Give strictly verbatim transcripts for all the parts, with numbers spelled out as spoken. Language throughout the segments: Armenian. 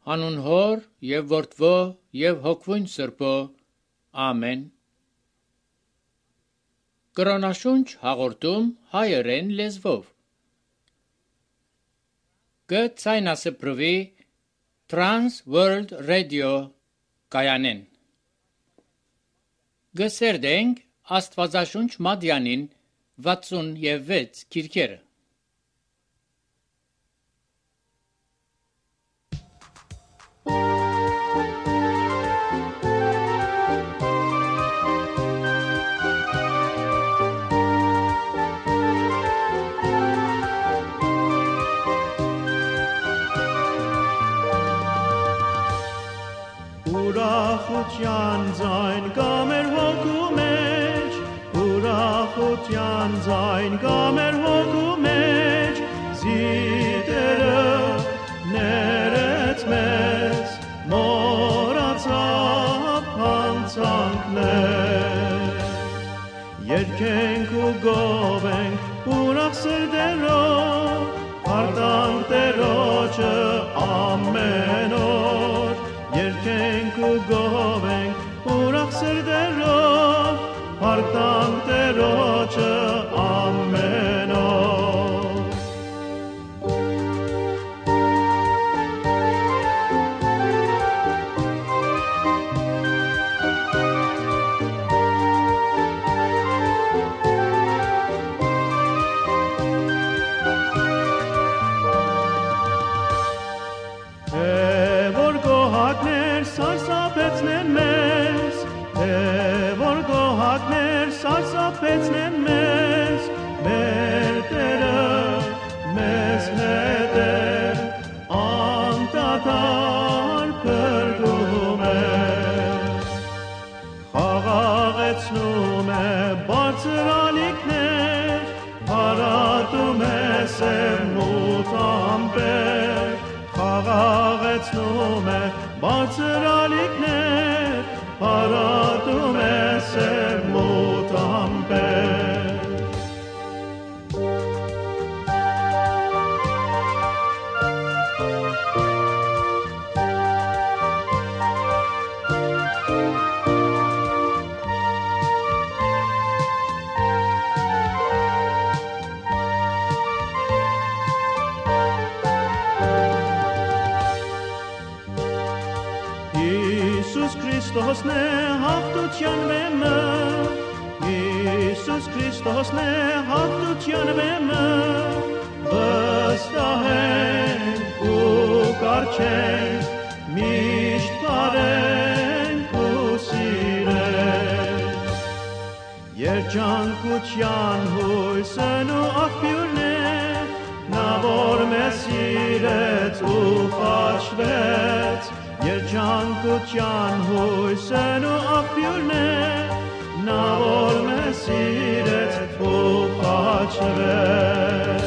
Հանուն Հոր եւ Որդվո եւ Հոգվույն Սրբո, ամեն։ Կրոնաշունչ հաղորդում հայերեն լեզվով։ Կցայնասպրվի Trans World Radio կայանեն։ Գսերդենք Աստվածաշունչ Մադյանին վաթսունևեքս քիրքերը։ Ուրախության ձայն կա մեր հոգու մեջ, ուրախության ձայն կա մեր հոգու մեջ, զիտերը ներեց մեզ, մոռացավ հանցանքներ։ Երգենք ու գովենք ուրախ սրտերով, հարդանք Տերոջը ամեն օր, երգենք ու գովենք ուրախ սրտերով, հարդանք Տերոջը ամեն օր։ Սարսափեցնեն մեզ, թե որ գոհակներ սարսափեցնեն մեզ, մեր Տերը մեզ հետ է, անդադար փրկում է, խաղաղեցնում է բարձր ալիքներ, հարատում է սև մութ ամպեր, խաղաղեցնում է բարձր ալիքներ, հարատում է սև մութ ամպեր։ Քրիստոսն է հաղթության վեմը, Հիսուս Քրիստոսն է հաղթության վեմը, վստահենք ու կառչենք, միշտ բարենք ու սիրենք։ Երջանկության հույսն ու աղբյուրն է, նա որ մեզ սիրեց ու խաչվեց, երջանկության հույսն ու աղբյուրն է, նա որ մեզ սիրեց ու խաչվեց։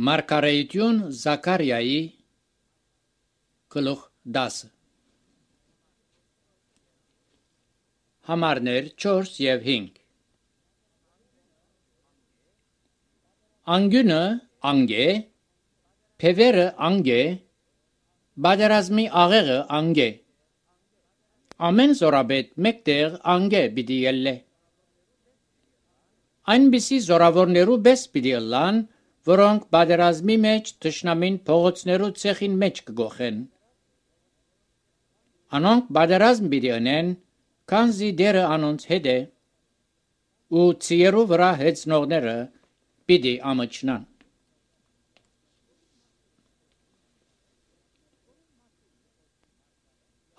Մարգարեություն Զաքարիայի գլուխ դասը Համարներ չորս և հինգ Անգյունը անգե, փևերը անգե, բادرազմի աղեղը անգե, ամեն զորաբետ մեկտեղ անգե պիտի ելլե։ Այնպիսի զորավորներու պես պիտի ըլլան, որոնք բادرազմի մեջ թշնամին փողոցներու ցեխին մեջ կգոխեն։ Անոնք բادرազմ պիտի անեն, քանզի դերը անոնց հետ է, ու ցիերու վրա հեծնողները պիտի ամաչնան։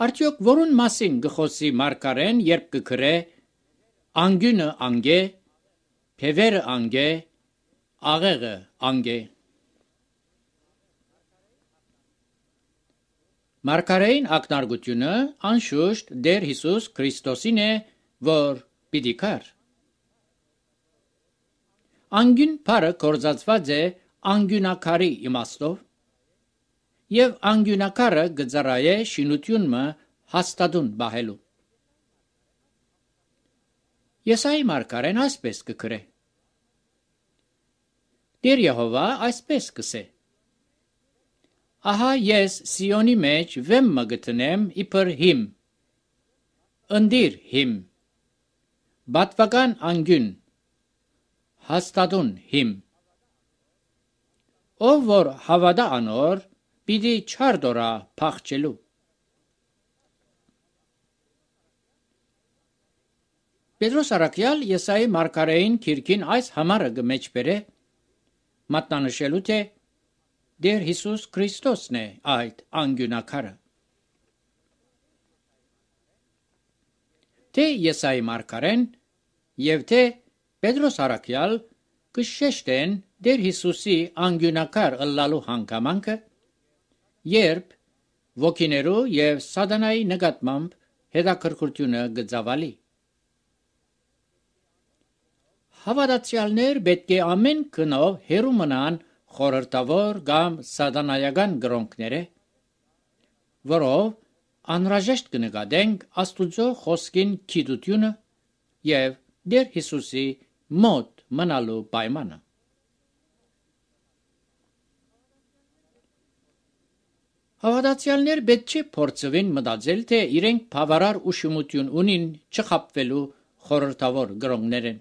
Արդյոք որուն մասին գխոսի մարգարեն, երբ կգրե անգյունը անգե, փևերը անգե, աղեղը անգե։ Մարգարեին ակնարկությունը անշուշտ Տեր Հիսուս Քրիստոսին է, որ պիտի կար։ Անգյուն բառը կորզածված է անգյունակարի իմաստով, եւ անգյունակարը գծարայե շինությունը հաստատուն բահելու։ Եսայի մարգարեն այսպես կգրե. Տեր Եհովա այսպես կսե. Ահա ես Սիոնի մեջ վեմ մը գտնեմ իբր հիմ, ընդիր հիմ, բատվական անգյուն, հաստատուն հիմ, ով որ հավատա անոր, պիտի չարդորա փախչելու։ Պետրոս Արաքյալ Եսայի մարգարեին քիրքին այս համարը գմեջբերե, մատնանշելու թե Դեր Հիսուս Քրիստոսն է այդ անգյունակարը։ Թե Եսայի մարգարեն եւ թե Պետրոս Արաքյալ կշեշտեն Դեր Հիսուսի անգյունակար ըլլալու հանգամանքը, երբ ոգիներու եւ սատանայի նկատմամբ հետաքրքրությունը գծավալի։ Հավատացյալներ պետք է ամեն կնով հերու մնան խորհրդավոր կամ սատանայական գրոնքները, որով անհրաժեշտ կնկատենք Աստուծո խոսքին քիդությունը եւ Դեր Հիսուսի մոտ մնալու պայմանը։ Հավատացյալներ պետք չէ փորձվին մտածել, թե իրենք բավարար ուշումություն ունին չխապվելու խորհրդավոր գրոնքներեն։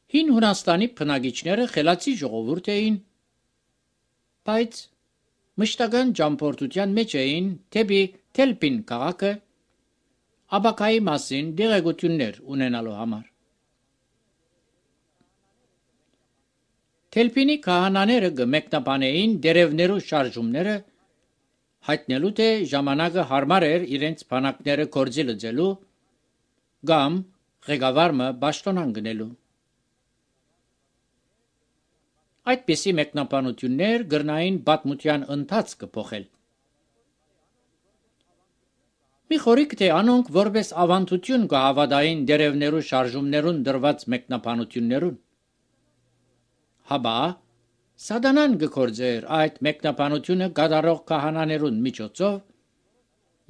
Հին Հունաստանի բնագիչները խելացի ժողովուրդ էին, բայց մշտական ճամփորդության մեջ էին թեպի Թելփին քաղաքը ապակայի մասին դեղեցություններ ունենալու համար։ Թելփինի քահանաները գմեկնաբանեին դերևներու շարժումները, հայտնելու թե ժամանակը հարմար էր իրենց բանակները կորձի լծելու կամ ղեկավարը պաշտոնան գնելու։ Այդպիսի մեկնաբանություններ գրնային պատմության ընթացքը փոխել։ Մի խորիկ թե անոնք որպես ավանդություն կհավատային դերևներու շարժումներուն դրված մեկնաբանություններուն։ Հաբա սատանան գործեր այդ մեկնաբանությունը կատարող քահանաներուն միջոցով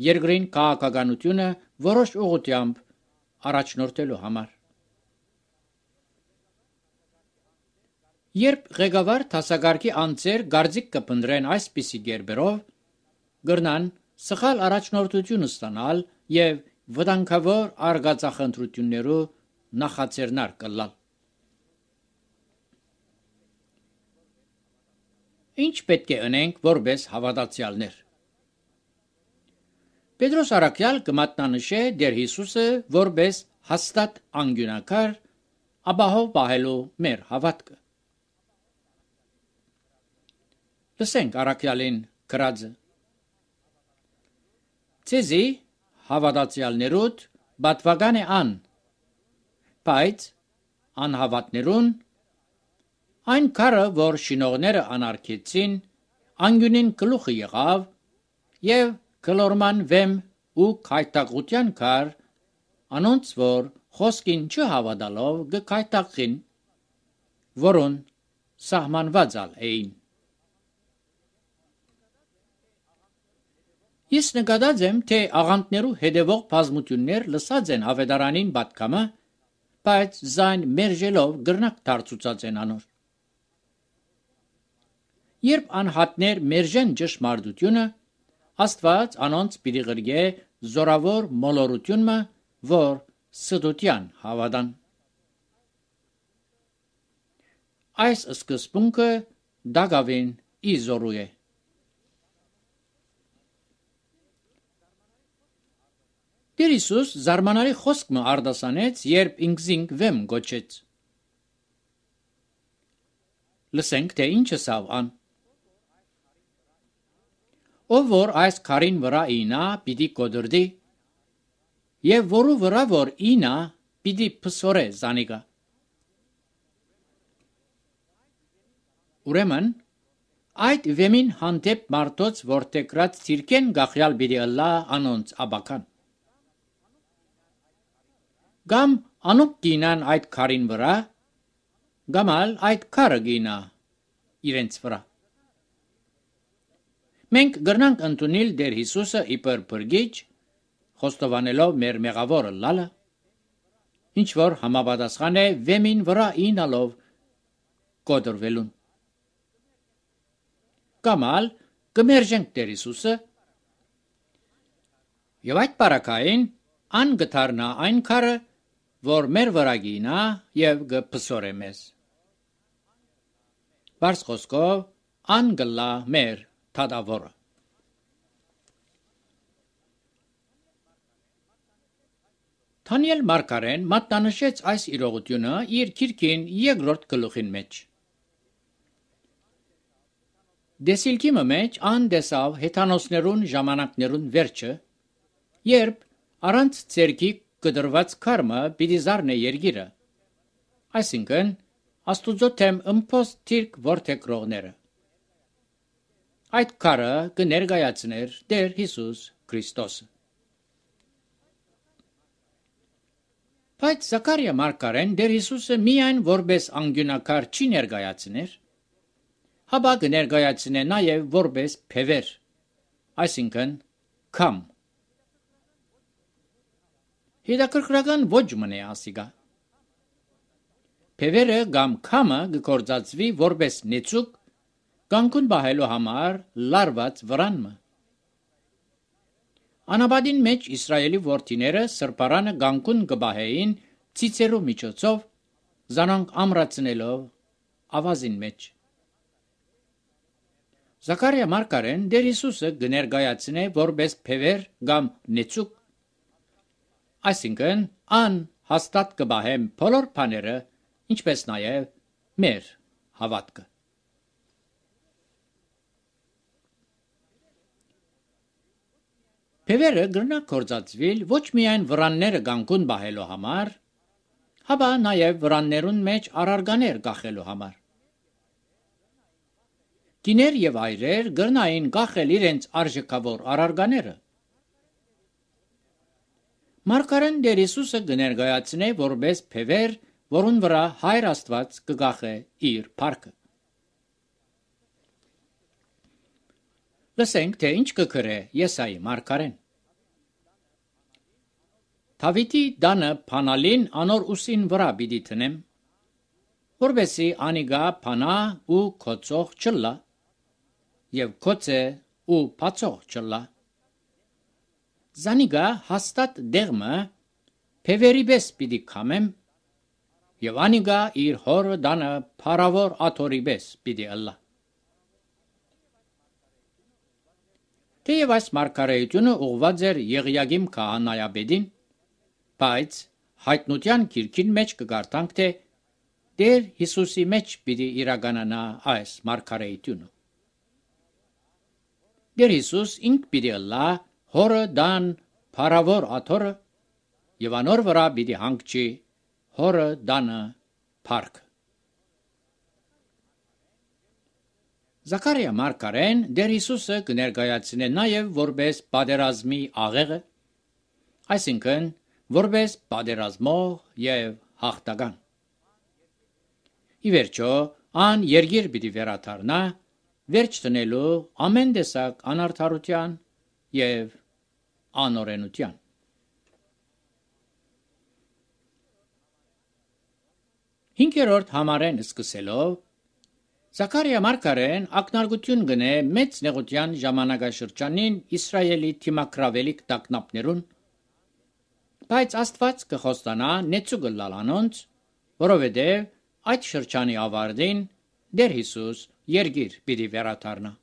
երկրին քաղաքականությունը որոշ ուղղությամբ առաջնորդելու համար։ Երբ ղեկավար դասակարգի անձեր գարձիկ կփնտրեն այսպիսի գերբերով, գրնան սխալ առաջնորդություն ստանալ եւ վտանգավոր արգածախնդրություններու նախաձեռնար կլալ։ Ինչ պետք է անենք որպես հավատացյալներ։ Պետրոս Արաքյալ կմատնանշե Դեր Հիսուսը որպես հաստատ անգյունակար ապահով պահելու մեր հավատքը։ Լսենք Արաքյալին գրածը. Ցեզի հավատացյալներուդ բատվական է ան, բայց անհավատներուն այն քարը, որ շինողները անարգեցին, անգյունին գլուխը եղավ եւ գլորման վեմ ու քայտակության քար, անոնց որ խոսքին չհավատալով գքայտակին, որոն սահմանված էին։ Ես նկատած եմ, թե աղանդներու հետևող բազմություններ լսած են ավետարանին պատկամը, բայց զայն մերժելով գրնակ դարձուցած են անոր։ Երբ անհատներ մերժեն ճշմարտությունը, Աստված անոնց պիտի գրգե զորավոր մոլորությունը, որ ստության հավատան։ Այս սկզբունքը Դագավին իզորու է։ Տեր Հիսուս զարմանալի խոսքը արտասանեց, երբ ինքզինք վեմ գոչեց։ Լսենք, թե ինչ ասավ ան։ Ով որ այս քարին վրա ինա, պիտի կոդրդի, եւ որու վրա որ ինա, պիտի փսորե զանիգա։ Ուրեմն այդ վեմին հանդեպ մարդոց որտեգրած ցիրկեն գախյալ պիտի ըլլա անոնց աբական։ Գամ անուկ գինան այդ քարին վրա, գամալ այդ քարը գինա իրենց վրա։ Մենք գրնանք ընդունել Տեր Հիսուսը իբր փրկիչ, խոստովանելով մեր մեղավորը լալը, ինչ որ համապատասխան է վեմին վրա ինալով կոտրվելուն։ Կամ ալ կմերժենք Տեր Հիսուսը եւ այդ բարակային ան գթարնա այն քարը, որ մեր վրա գինա եւ գփսորե մեզ։ Բարձ խոսքով ան գլա մեր թադավորը։ Դանիել Մարգարեն մատնանշեց այս իրողությունը իր քիրքին երկրորդ գլուխին մեջ։ Դեսիլքի մեջ ան դեսավ հեթանոսներուն ժամանակներուն վերջը, երբ առանց ցերքի կդրված քարմը պիտի զարնե երգիրը, այսինքն Աստուծո թեմ ըմփոս թիրք որդեկրողները։ Այդ քարը կներկայացներ Տեր Հիսուս Քրիստոսը։ Բայց Զաքարիա Մարգարեն Տեր Հիսուսը միայն որպես անգյունակար չի ներկայացներ, հապա կներկայացնե նաև որպես փևեր, այսինքն քամ։ Հետաքրքրական ոչ մնե ասիգա։ Փևերը կամ քամը գործածվի որպես նեցուկ կանգուն բահելու համար լարված վրանմը։ Անաբադին մեջ Իսրայելի որդիները սրբարանը կանգուն կբահեին ցիցերու միջոցով, զանոնք ամրացնելով ավազին մեջ։ Զաքարիա Մարգարեն Տեր Հիսուսը կներկայացնե որպես փևեր կամ նեցուկ, այսինքն ան հաստատ կբահեմ բոլոր բաները, ինչպես նաև մեր հավատքը։ Փևերը գրնա գործածվել ոչ միայն վրանները կանգուն բահելու համար, հապա նաև վրաններուն մեջ առարգաներ կախելու համար։ Կիներ եւ այրեր գրնային կախել իրենց արժեքավոր առարգաները։ Մարգարեն Տեր Հիսուսը կներկայացնե որպես փևեր, որուն վրա Հայր Աստված կգախե իր փառքը։ Լսենք, թե ինչ կգրե Եսայի Մարգարեն։ Դավիթի դանը փանալին անոր ուսին վրա պիտի տնեմ, որովհետեւ անիգա փանա ու կոծող չլա, եւ կոծե ու բացող չլա։ Զանիգա հաստատ դեղմը փևերի պես պիտի կամեմ, եւ անիգա իր հորը դանը փարավոր աթորի պես պիտի ըլլա։ Թեև այս մարգարեությունը ուղված էր Եղիագիմ քահանայապետին, բայց հայտնության գիրքին մեջ կգարտանք, թե Տեր Հիսուսի մեջ պիտի իրականանա այս մարգարեությունը։ Տեր Հիսուս ինք պիտի ըլլա հորը դան փարավոր աթորը եւ անոր վրա պիտի հանգչի հորը դանը փառք։ Զաքարիա Մարգարեն Տեր Հիսուսը կներկայացնե նաև որպես պատերազմի աղեղը, այսինքն որպես պատերազմող եւ հաղթական։ Ի վերջո, ան երգիր պիտի վերաթարնա, վերջ տնելու ամեն տեսակ անարդարության եւ անօրենության։ Հինգերորդ համարեն սկսելով Զաքարիա Մարգարեն ակնարկություն գնե մեծ նեղության ժամանակաշրջանին Իսրայելի թիմակրավելիք տագնապներուն, բայց Աստված կխոստանա նեցուգը լալանոնց, որովհետև այդ շրջանի ավարտին Տեր Հիսուս երգիր պիտի վերաթարնա։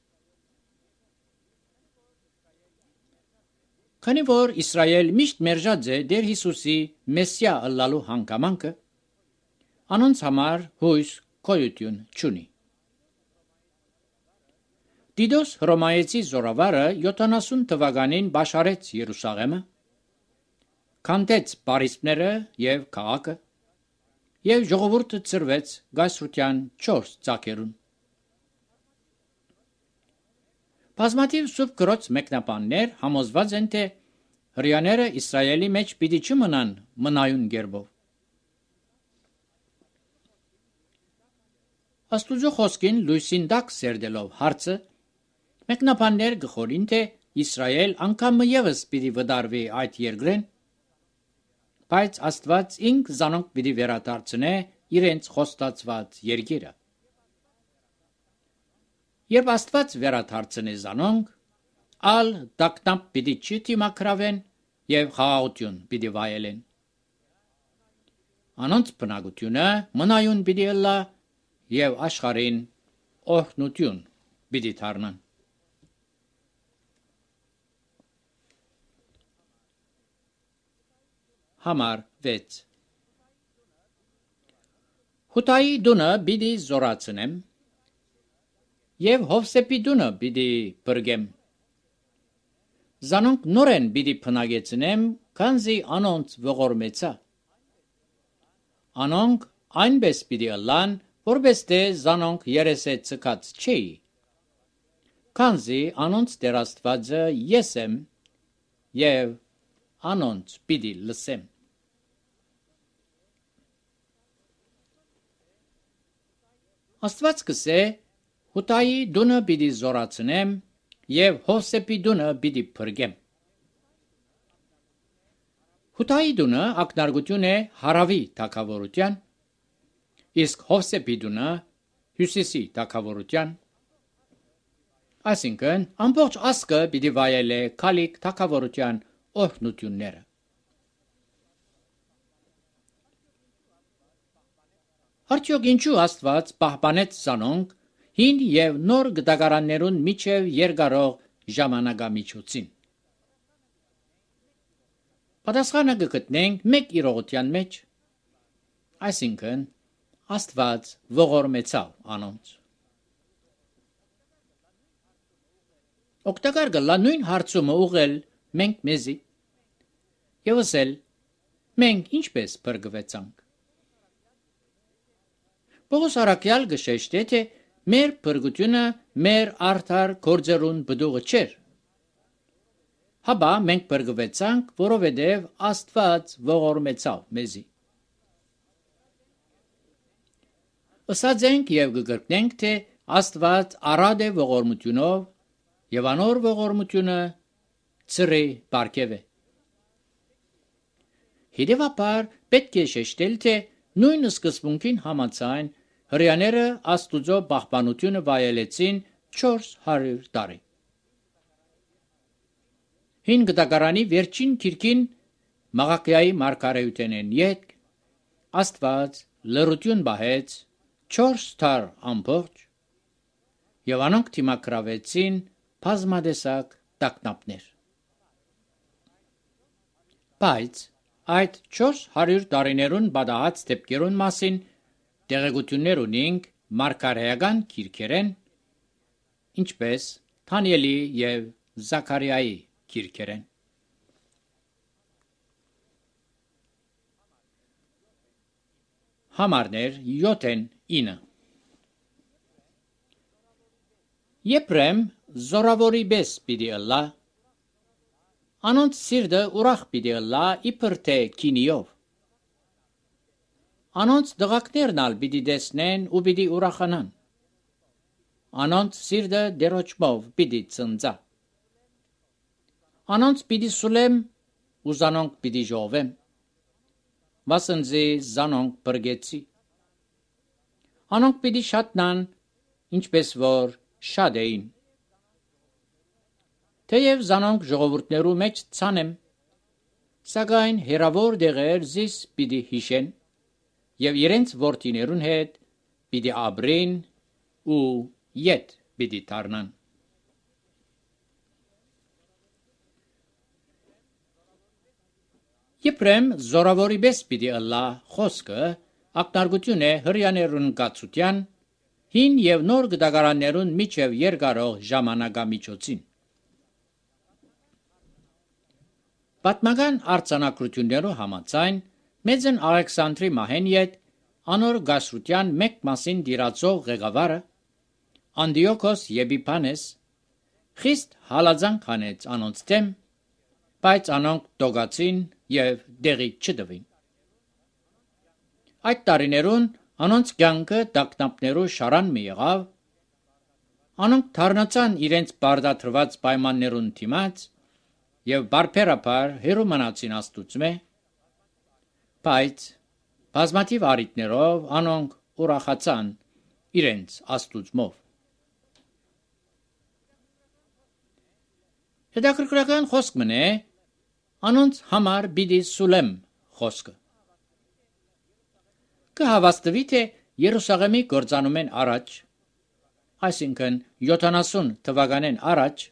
Քանի որ Իսրայել միշտ մերժած է Տեր Հիսուսի մեսիա ըլլալու հանգամանքը, անոնց համար հույս գոյություն չունի։ Տիտոս Հռոմայեցի զորավարը յոթանասուն թվականին բաշարեց Երուսաղեմը, քանդեց պարիսպները եւ քաղաքը, եւ ժողովուրդը ծրվեց գայսրության չորս ծակերուն։ Բազմաթիվ սուրբ գրոց մեկնաբաններ համոզված են, թե հրեաները Իսրայելի մեջ պիտի չմնան մնայուն գերբով։ Աստուծո խոսքին լույսին տակ սերդելով հարցը, Մեկնաբաններ գխորին թե Իսրայել անգամ ևս պիտի վդարվի այդ երկրեն, բայց Աստված ինք զանոնք պիտի վերադարձնե իրենց խոստացված երկիրը։ Երբ Աստված վերադարձնե զանոնք, ալ տակնապ պիտի չդիմակրավեն եւ խաղաղություն պիտի վայելեն։ Անոնց բնակությունը մնայուն պիտի ըլլա եւ աշխարհին օրհնություն պիտի դառնան։ Համար վեց Հութայի դունը պիտի զորացնեմ եւ Հովսեփի դունը պիտի բրգեմ։ Զանոնք նորեն պիտի փնագեցնեմ, քանզի անոնց ողորմեցա։ Անոնք այնպես պիտի ըլլան, որպես թե զանոնք երեսե ցկած չի։ Քանզի անոնց Տեր Աստվածը ես եմ եւ անոնց պիտի լսեմ։ Աստված կսե Հութայի դունը պիտի զորացնեմ եւ Հովսեփի դունը պիտի փրկեմ։ Հութայի դունը ակնարկություն է հարավի թագավորության, իսկ Հովսեփի դունը հյուսիսի թագավորության։ Այսինքն ամբողջ ազգը պիտի վայելե քալիք թագավորության օրհնությունները։ Արդյոք ինչու Աստված պահպանեց զանոնք հին եւ նոր գդագարաններուն միջև երկարող ժամանակամիջոցին։ Պատասխանը կգտնենք մեկ իրողության մեջ, այսինքն Աստված ողորմեցավ անոնց։ Օգտակար գլա նույն հարցումը ուղղել մենք մեզի եւ ասել մենք ինչպես բրգվեցանք։ Պողոս առաքյալ գշեշտե թե մեր բրգությունը մեր արդար գործերուն բդուղը չէր։ Հաբա մենք բրգվեցանք, որովհետև Աստված ողորմեցավ մեզի։ Ըսած ենք եւ կգրկնենք, թե Աստված արադ է ողորմությունով եւ անոր ողորմությունը ծրի բարգև է։ Հետևաբար պետք է շեշտել, թե նույն սկզբունքին համաձայն հրեաները Աստուծո պահպանությունը վայելեցին չորս հարյուր տարի։ Հին գդագարանի վերջին քիրքին Մաղաքիայի մարգարեութենեն յետք Աստված լրություն բահեց չորս թար ամբողջ եւ անոնք դիմակրավեցին բազմադեսակ տագնապներ։ Բայց այդ չորս հարյուր տարիներուն բադահած դեպքերուն մասին տեղեկություններ ունենք մարգարեական քիրքերեն, ինչպես Դանիելի եւ Զաքարիայի քիրքերեն։ Համարներ յոթեն ինը Եփրեմ զորավորի պես պիտի ըլլա, անոնց սիրտը ուրախ պիտի ըլլա իբր թե քինիով։ Անոնց դղակներն ալ պիտի տեսնեն ու պիտի ուրախանան։ Անոնց սիրտը դերոճմով պիտի ծնծա։ Անոնց պիտի սուլեմ ու զանոնք պիտի ժողվեմ։ Վասնզի զանոնք բրգեցի։ Անոնք պիտի շատնան, ինչպես որ շատ էին։ Թեև զանոնք ժողովուրդներու մեջ ցանեմ, սակայն հերավոր դեղեր զիս պիտի հիշեն եւ իրենց որդիներուն հետ պիտի ապրեն ու յետ պիտի դառնան։ Եփրեմ զորավորի պես պիտի ըլլա խոսքը ակնարկություն է հրեաներուն կացության հին եւ նոր գդագարաններուն միջև երկարող ժամանակամիջոցին։ Պատմական արձանագրություններով համաձայն մեծն Ալեքսանդրի մահեն յետ անոր գասրության մեկ մասին դիրացող ղեկավարը Անդիոքոս Եփիփանես խիստ հալածանք հանեց անոնց դեմ, բայց անոնք դոգացին եւ դեղի չտվին։ Այդ տարիներուն անոնց կյանքը տագնապներու շարան մի եղավ, Անոնք թարնացան իրենց բարդաթրված պայմաններուն դիմաց եւ բարբերաբար հերու մնացին Աստուծմե, բայց բազմաթիվ առիթներով անոնք ուրախացան իրենց Աստուծմով։ Հետաքրքրական խոսք մնե անոնց համար բիդի Սուլեմ խոսքը։ Կհավաստվի թե Երուսաղեմի գործանում են առաջ, այսինքն յոթանասուն թվականեն առաջ,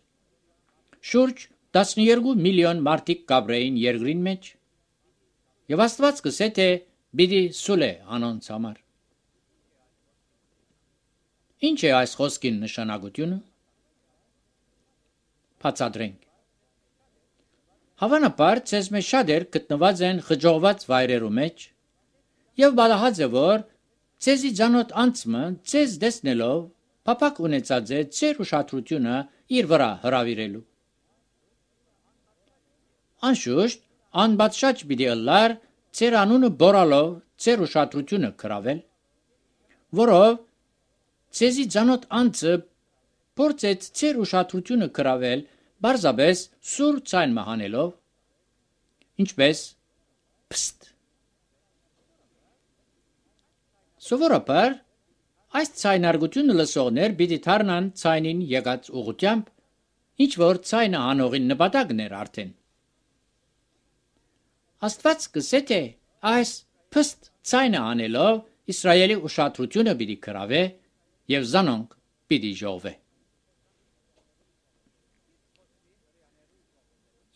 շուրջ տասներկու միլիոն մարդիկ կաբրեին երկրին մեջ, եւ Աստված կսե թե բիդի Սուլե անոնց համար։ Ինչ է այս խոսքին նշանակությունը։ Բացատրենք։ Հավանաբար ցեզ մեջ շատեր գտնված են խջողված վայրերու մեջ եւ բալահած է որ ցեզի ցանոթ անցմը ցեզ դեսնելով փապակ ունեցած է ցեր ուշադրությունը իր վրա հրավիրելու։ Անշուշտ անբացշաճ պիտի ըլլար ցեր անունը բորալով ցեր ուշադրությունը կրավել, որով ցեզի ցանոթ անցը փորձեց ցեր ուշադրությունը կրավել բարձաբես սուր ցայն մահանելով, ինչպես փստ։ Սովորաբար այս ցայնարգությունը լսողներ պիտի դառնան ցայնին եկած ուղությամբ, ինչ որ ցայնը անողին նպատակն էր արդեն։ Աստված կսե թե այս փստ ցայնը անելով Իսրայելի ուշադրությունը պիտի կրավե եւ զանոնք պիտի ժողվե։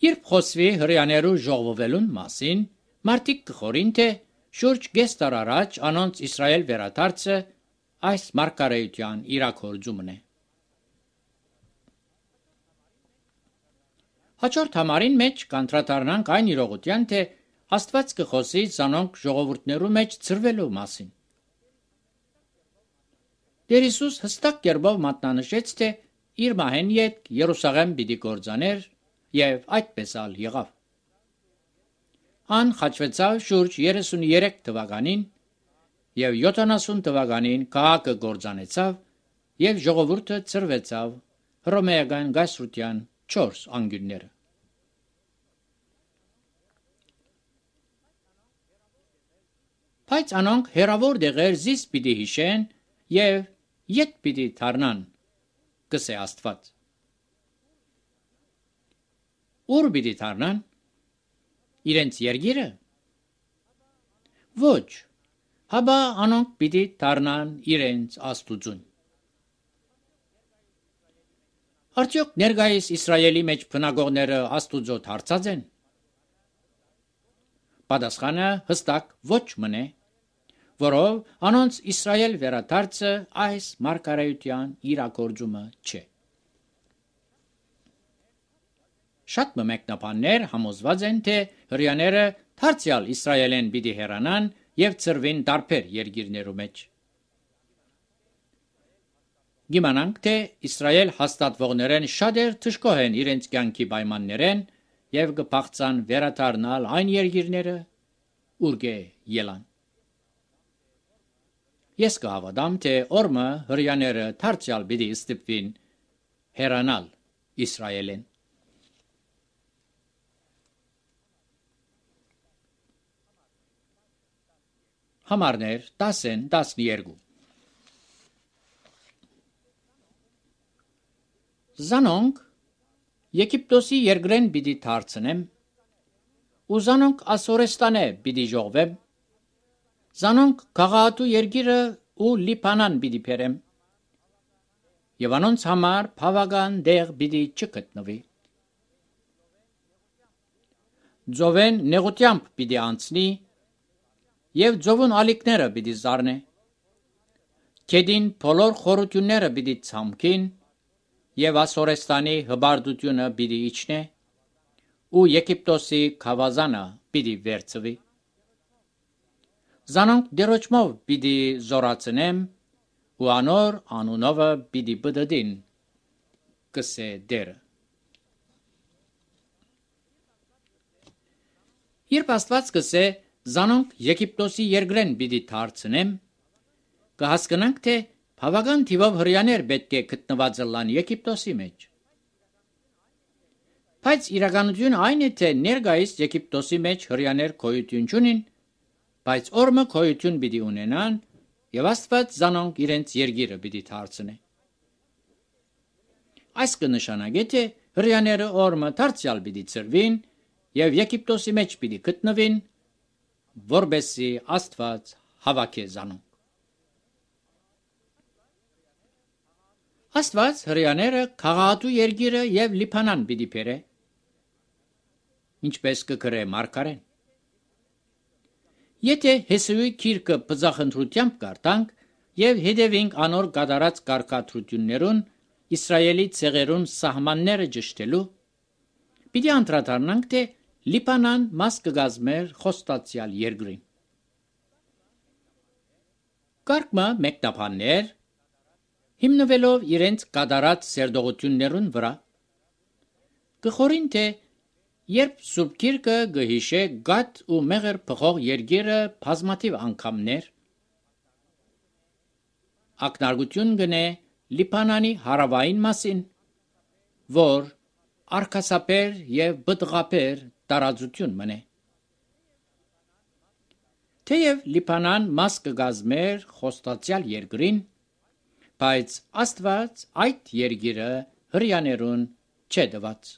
Երբ խոսվի հրյաներու ժողվվելուն մասին, մարդիկ կխորին թե շուրջ կես տար առաջ անոնց Իսրայել վերադարձը այս մարգարեության իրաքորձումն է։ Հաջորդ համարին մեջ կանդրադառնանք այն իրողության, թե Աստված կխոսի զանոնք ժողովուրդներու մեջ ծրվելու մասին։ Տեր Հիսուս հստակ կերպով մատնանշեց, թե իր մահեն յետ Երուսաղեմ պիտի գործաներ եւ այդպես ալ եղավ։ Ան խաչվեցավ շուրջ երեսունյերեք թվականին եւ յոթանասուն թվականին քաղաքը գործանեցավ եւ ժողովուրդը ծրվեցավ հռոմեական գայսրության չորս անգյունները։ Բայց անոնք հերավոր դեղեր զիս պիտի հիշեն եւ յետ պիտի դառնան, կսե Աստված։ Ուր պիտի դառնան։ Իրենց երգիրը։ Ոչ, հաբա անոնք պիտի դառնան իրենց Աստուծուն։ Արդյոք ներկայիս Իսրայելի մեջ բնակողները Աստուծո դարձած են։ Պատասխանը հստակ ոչ մնե, որով անոնց Իսրայել վերադարձը այս մարգարեության իրագործումը չէ։ Շատ մեկնաբաններ համոզված են, թե հրյաները դարձյալ Իսրայելեն պիտի հեռանան եւ ծրվին տարբեր երկիրներու մեջ։ Գիմանանք, թե Իսրայել հաստատվողներեն շատեր թշկոհ են իրենց կյանքի պայմաններեն եւ կփախցան վերադառնալ այն երկիրները, ուր կե ելան։ Ես կհավատամ, թե օրը հրյաները դարձյալ պիտի ստիպվին հեռանալ Իսրայելեն։ Համարներ տասն տասներկու Զանոնք Եգիպտոսի երկրեն պիտի դարձնեմ, ու զանոնք Ասորեստանե պիտի ժողվեմ, զանոնք Գաղատու երկիրը ու Լիբանան պիտի բերեմ, եւ անոնց համար բավական դեղ պիտի չգտնվի։ Ձովեն նեղությամբ պիտի անցնի եւ ձովուն ալիքները պիտի զարնե։ Քեդին բոլոր խորությունները պիտի ցամքին եւ Ասորեստանի հբարդությունը պիտի իջնե ու Եգիպտոսի խավազանը պիտի վերցվի։ Զանոնք դերոճմով պիտի զորացնեմ ու անոր անունովը պիտի բդդին, կսե դերը։ Երբ Աստված կսե զանոնք Եգիպտոսի երկրեն պիտի դարձնեմ, կհասկանանք, թե բավական թիվով հրյաներ պետք է գտնված լան Եգիպտոսի մեջ։ Բայց իրականությունը այն է, թե ներկայիս Եգիպտոսի մեջ հրյաներ գոյություն չունին, բայց օրը գոյություն պիտի ունենան եւ Աստված զանոնք իրենց երկիրը պիտի դարձնե։ Այս կնշանակի, թե հրյաները օրը դարձյալ պիտի ծրվին եւ Եգիպտոսի մեջ պիտի գտնվին, որբեսի Աստված հավաքե զանոնք։ Աստված հրյաները քաղաքատու երկիրը եւ Լիբանան պիտի բերե, ինչպես կգրե Մարգարեն։ Եթե Հեսուի գիրքը բծախնդրությամբ կարդանք եւ հետևենք անոր կատարած կարգադրություններուն Իսրայելի ցեղերուն սահմանները ճշտելու, պիտի անդրադառնանք, թե Լիբանան մաս կգազմեր խոստացյալ երկրին։ Կարգմը մեկնաբաններ հիմնվելով իրենց կատարած սերտողություններուն վրա կխորին, թե երբ Սուրբ Գիրքը գհիշե Գադ ու Մեղր փոխող երկիրը բազմաթիվ անգամներ, ակնարկություն գնե Լիբանանի հարավային մասին, որ արկասապեր եւ բտղապեր տարածություն մնե։ Թեև Լիբանան մաս կգազմեր խոստացյալ երկրին, բայց Աստված այդ երկիրը հրյաներուն չէ տված։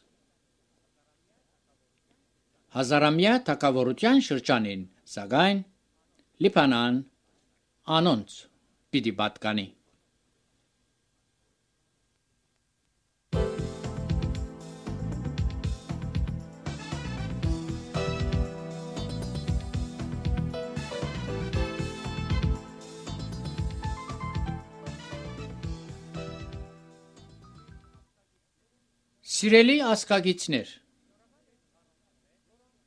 Հազարամյա թագավորության շրջանին, սակայն Լիբանան անոնց պիտի պատկանի։ Սիրելի ասկագիցներ,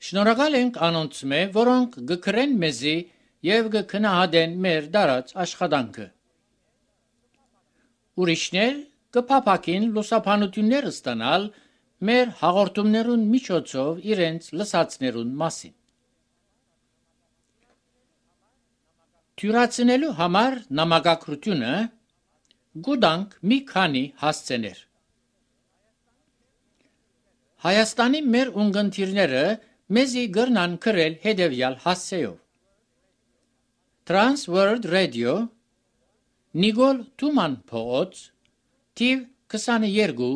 շնորհակալ ենք անոնց մե, որոնք գկրեն մեզի եւ գքնահատեն մեր դարած աշխատանքը։ Ուրիշներ կփափակին լուսաբանություններ ստանալ մեր հաղորդումներուն միջոցով իրենց լսածներուն մասին։ Թյուրացնելու համար նամակագրությունը գուտանք մի քանի հասցեներ։ Հայաստանի մեր ունգընտիրները մեզի գրնան գրել հետևյալ հասցեով. Trans World Radio, Նիգոլ Թուման փողոց, թիվ քսաներկու,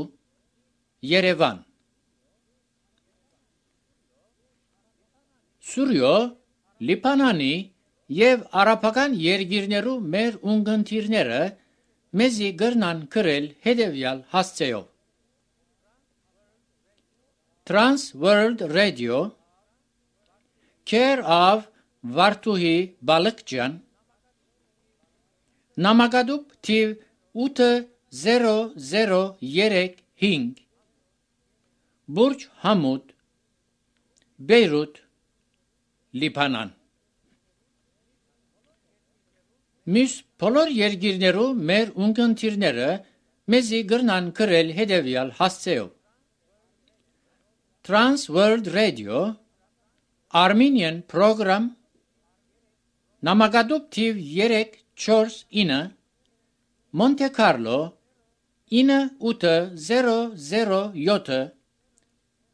Երևան։ Սուրյո, Լիբանանի եւ արաբական երկիրներու մեր ունգընտիրները մեզի գրնան գրել հետևյալ հասցեով. Trans World Radio, Care of Վարդուհի Բալկջյան, Նամակադուբ թիվ ութ զերո զերո երեք հինգ, Բուրջ Համուդ, Բեյրութ, Լիբանան։ Մյուս բոլոր երկիրներու մեր ունգընտիրները մեզի գրնան գրել հետևյալ հասցեով. Trans World Radio, Armenian Program, Նամակադուբ թիվ երեք չորս ինը, Monte Carlo, ինը ութ զերո զերո յոթ,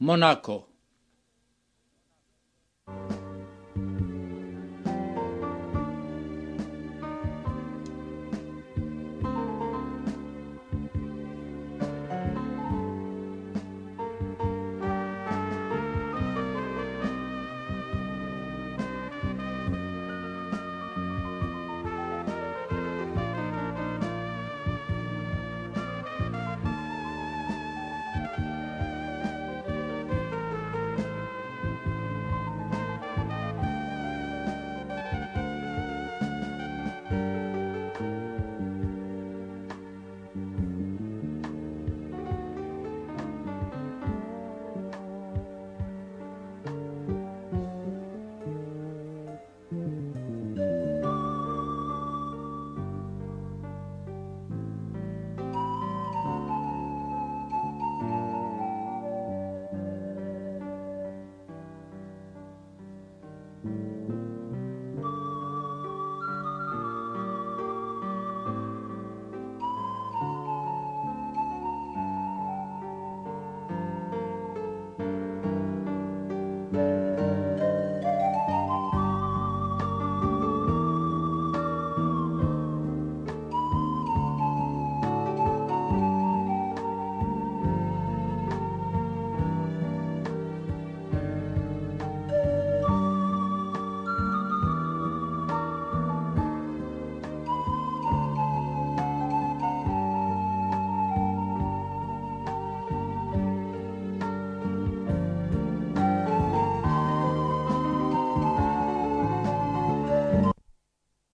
Monaco։